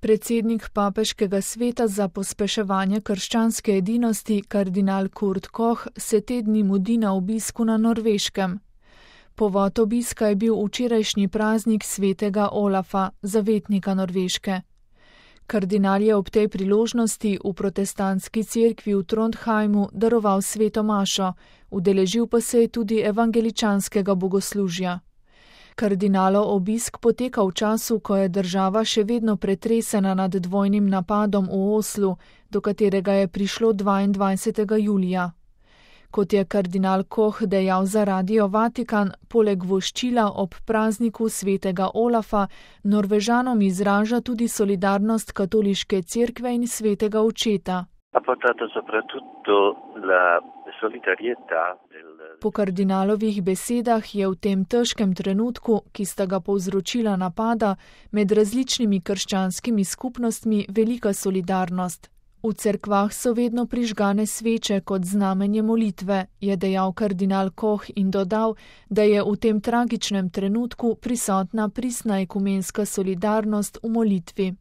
Predsednik papeškega sveta za pospeševanje krščanske edinosti, kardinal Kurt Koch, se te dni mudi na obisku na Norveškem. Povod obiska je bil včerajšnji praznik svetega Olafa, zavetnika Norveške. Kardinal je ob tej priložnosti v protestantski cerkvi v Trondheimu daroval sveto mašo, udeležil pa se je tudi evangeličanskega bogoslužja. Kardinalov obisk poteka v času, ko je država še vedno pretresena nad dvojnim napadom v Oslu, do katerega je prišlo 22. julija. Kot je kardinal Koch dejal za Radio Vatikan, poleg voščila ob prazniku svetega Olafa, Norvežanom izraža tudi solidarnost katoliške cerkve in svetega očeta. Po kardinalovih besedah je v tem težkem trenutku, ki sta ga povzročila napada, med različnimi krščanskimi skupnostmi velika solidarnost. V cerkvah so vedno prižgane sveče kot znamenje molitve, je dejal kardinal Koch in dodal, da je v tem tragičnem trenutku prisotna pristna ekumenska solidarnost v molitvi.